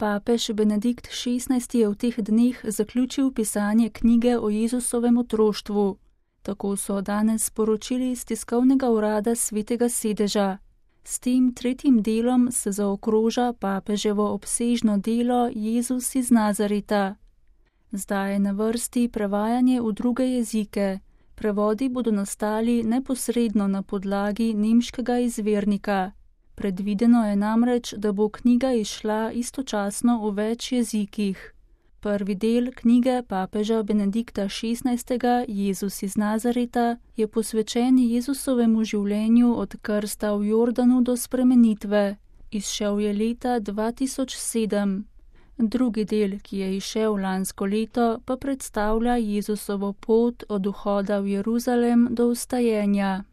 Papež Benedikt XVI je v teh dneh zaključil pisanje knjige o Jezusovem otroštvu. Tako so danes sporočili iz tiskovnega urada Svetega sedeža. S tem tretjim delom se zaokroža papeževo obsežno delo Jezus iz Nazareta. Zdaj je na vrsti prevajanje v druge jezike. Prevodi bodo nastali neposredno na podlagi nemškega izvirnika. Predvideno je namreč, da bo knjiga izšla istočasno v več jezikih. Prvi del knjige papeža Benedikta XVI. Jezus iz Nazareta je posvečen Jezusovemu življenju od krsta v Jordanu do spremenitve. Izšel je leta 2007. Drugi del, ki je izšel lansko leto, pa predstavlja Jezusovo pot od vhoda v Jeruzalem do vstajenja.